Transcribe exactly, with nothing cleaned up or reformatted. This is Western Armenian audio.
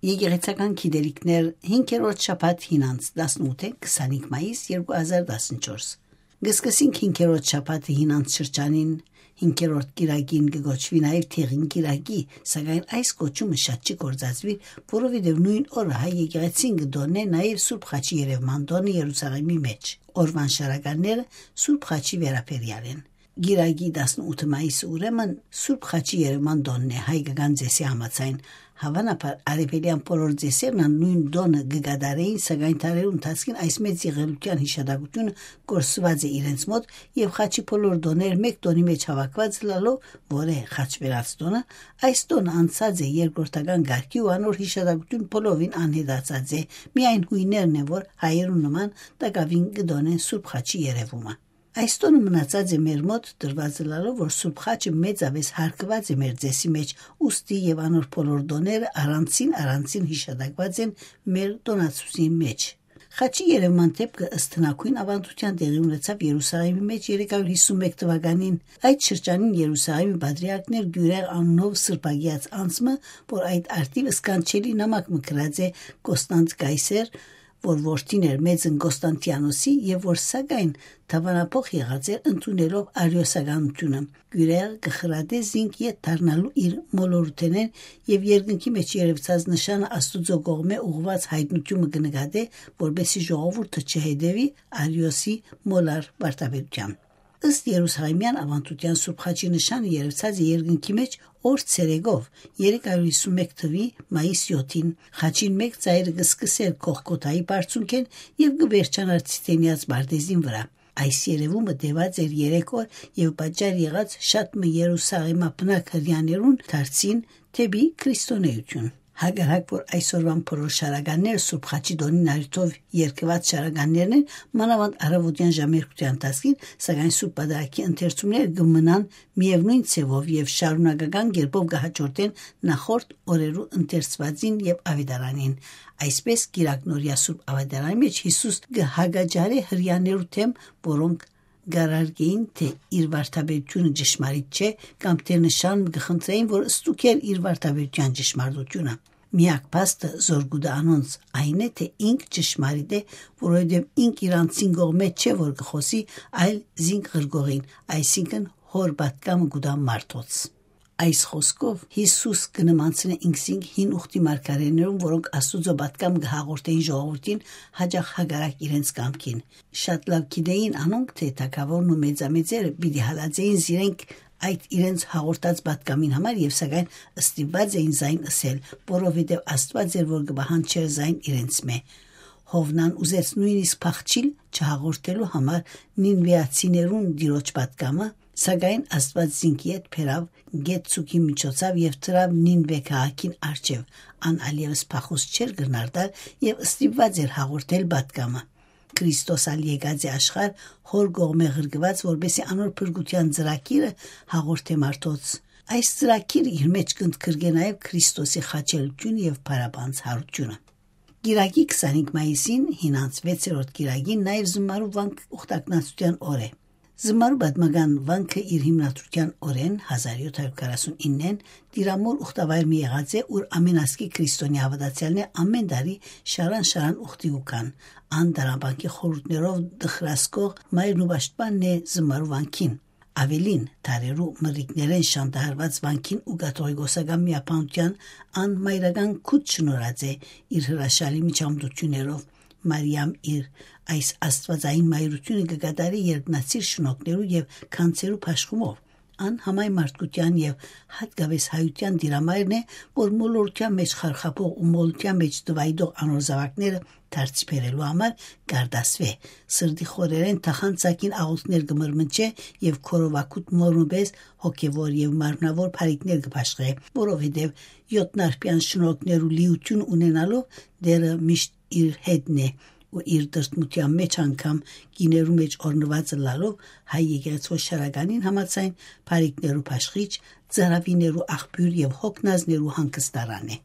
Եկեղեցական գիտելիքներ, հինգերորդ շաբաթ, հինանց, տասնութ, քսանինք մայիս երկու հազար տասնչորս։ Կսկսենք հինգերորդ շաբաթը հինանց շրջանին, հինգերորդ կիրակին կը կոչուի նաեւ Դեղին կիրակի, սակայն այս կոչումը շատ չի գործածուիր, որովհետեւ նոյն օրը հայ եկեղեցին կը տօննէ նաեւ Սուրբ Խաչի երեւման տօնը Երուսաղեմի մէջ։ Օրուան շարականները Սուրբ Խաչի վերաբերեալ են։ Կիրակի տասնութ մայիսը ուրեմն Սուրբ Խաչի երեւման տօնն է հայկական ծեսի համաձայն։ Հաւանաբար արեւելեան բոլոր ծեսերն ան նոյն տօնը կը կատարէին, սակայն դարերու ընթացքին այս մեծ եղելութեան յիշատակութիւնը կորսուած է իրենց մօտ եւ Խաչի բոլոր տօներ մէկ տօնի մէջ հաւաքուած ըլլալով, որ է խաչվերած տօնը, այս տօնը անցած է երկրորդական կարգի ու անոր յիշատակութիւն բոլորովին անհետացած է։ Միայն յոյներն են, որ հայերուն նման տակաւին կը տօնեն Սուրբ Խաչի երեւումը։ Այս տօնը մնացած է մեր մօտ, տրուած ըլլալով, որ Սուրբ Խաչը մեծապէս հարգուած է մեր ծեսի մէջ, ուստի եւ անոր բոլոր տօները առանձին-առանձին յիշատակուած են մեր տօնացուցին մէջ։ Խաչի երեւման դէպքը ըստ հնագոյն աւանդութեան տեղի ունեցաւ Երուսաղեմի մէջ երեք հարիւր հիսուն մէկ թուականին։ Այդ շրջանին Երուսաղեմի պատրիարքն էր Գիւրեղ անունով սրբագիած անձ մը, որ այդ արդիւ սքանչելի նամակ մը գրած է Կոստանտ Կայսեր, որ որդին էր մեծն Կոստանտիանոսի եւ որ սակայն դաւանափոխ եղած էր ընդունելով արիոսականութիւնը։ Գիւրեղ կը խրատէ զինք ետ դառնալու իր մոլորութենէն եւ երկնքի մէջ երեւցած նշանը Աստուծոյ կողմէ ուղղուած յայտնութիւնը կը նկատէ, որպէսզի ժողովուրդը չհետեւի Արիոսի մոլար վարդապետութեան։ Ըստ Երուսաղեմեան աւանդութեան Սուրբ Խաչի նշանը երեւցած է երկնքի մէջ օր ցերեկով, երեք հարիւր հիսուն մէկ թուի մայիս յոթին։ Խաչին մէկ ծայրը կը սկսէր Կողգոթայի բարձունքէն եւ կը վերջանար Ցիթենեաց պարտէզին վրայ։ Այս երեւումը տեւած էր երեք օր եւ պատճառ եղած շատ մը Երուսաղեմաբնակ հրեաներուն դարձին դէպի քրիստոնէութիւն։ Հակառակ որ այսօրուան բոլոր շարականները Սուրբ Խաչի տօնին առիթով երգուած շարականներն են, մանաւանդ առաւօտեան ժամերգութեան ընթացքին, սակայն Սուրբ Պատարագի ընթերցումները կը մնան միեւնոյն ձեւով եւ շարունակական կերպով կը հաջորդեն նախորդ օրերու ընթերցուածին եւ աւետարանին։ Այսպէս, կիրակնորեայ Սուրբ Աւետարանի մէջ Յիսուս կը հակաճառէ հրեաներու դէմ, որոնք կ'արարգէին, թէ իր վարդապետութիւնը ճշմարիտ չէ, կամ թէ նշան կը խնդրէին, որ ստուգէր իր վարդապետութեան ճշմարտութիւնը։ Միակ փաստը, զոր կու տայ անոնց, այն է, թէ ինք ճշմարիտ է, որովհետեւ ինք իր անձին կողմէ չէ, որ կը խօսի, այլ զինք ղրկողին, այսինքն՝ հօր պատկամը կու տայ մարդոց։ Այս խօսքով Յիսուս կը նմանցնէ ինքզինք հին ուխտի մարգարէներուն, որոնք Աստուծոյ պատկամ կը հաղորդէին ժողովուրդին, յաճախ հակառակ իրենց կամքին։ Շատ լաւ գիտէին անոնք, թէ թագաւորն ու մեծամեծերը պիտի հալածէին զիրենք այդ իրենց հաղորդած պատկամին համար եւ սակայն ստիպուած էին զայն ըսել, որովհետեւ Աստուած էր, որ կը պահանջէր զայն իրենցմէ։ Յովնան ուզեց նոյնիսկ փախչիլ չհաղորդելու համար նինուէացիներուն Տիրոջ պատկամը, սակայն Աստուած զինք ետ բերաւ գետ ցուքի միջոցաւ եւ դրաւ Նինուէ քաղաքին առջեւ, ան ալ եւս փախուստ չէր կրնար տալ եւ ստիպուած էր հաղորդել պատկամը։ Քրիստոս ալ եկած է աշխարհ հօր կողմէ ղրկուած, որպէսզի անոր փրկութեան ծրագիրը հաղորդէ մարդոց։ Այս ծրագիրը իր մէջ կ'ընդգրկէ նաեւ Քրիստոսի խաչելութիւնը եւ փառապանծ յարութիւնը։ Կիրակի քսանինք մայիսին, հինանց վեցերորդ կիրակին, նաեւ Զմարու վանք ուխտագնացութեան օր է։ Զմարու պատմական վանքը իր հիմնադրութեան օրէն, հազար յոթ հարիւր քառասունիննէն, Տիրամոր ուխտավայր մը եղած է, ուր ամեն ազգի քրիստոնեայ հաւատացեալներ ամեն տարի շարան-շարան ուխտի կու գան։ Ան դարաբանկի խորհուրդներով դխրասկող մայրն ու պաշտպանն է Զմարու վանքին։ Աւելին, դարերու մրրիկներէն շանտահարուած վանքին ու կաթողիկոսական միաբանութեան ան մայրական քուտ շնորհած է իր հրաշալի միջամտություններով։ Մարիամ իր այս աստուածային մայրութիւնը կը կատարի երկնացիր շնորհքներու եւ գանձերու բաշխումով։ Ան համայն մարդկութեան եւ յատկապէս հայութեան տիրամայրն է, որ մոլորութեան մէջ խարխափող ու մոլութեան մէջ տուայտող անոր զաւակները դարձի բերելու համար կարտասուէ, սրտի խորերէն թախանցակին աղօթքներ կը մրմնջէ եւ քորովակուտ մոր մը պէս հոգեւոր եւ մարմնաւոր բարիքներ կը բաշխէ, որովհետեւ յոթնարբեան շնորհքներու լիութիւն ունենալով Տէրը միշտ իր հետն է ու իր տրտմութեան մէջ անգամ կիներու մէջ օրհնուած ըլլալով հայ եկեղեցւոյ շարականին համաձայն բարիքներու բաշխիչ, ծարաւիներու աղբիւր եւ հոգնածներու հանգստարան է։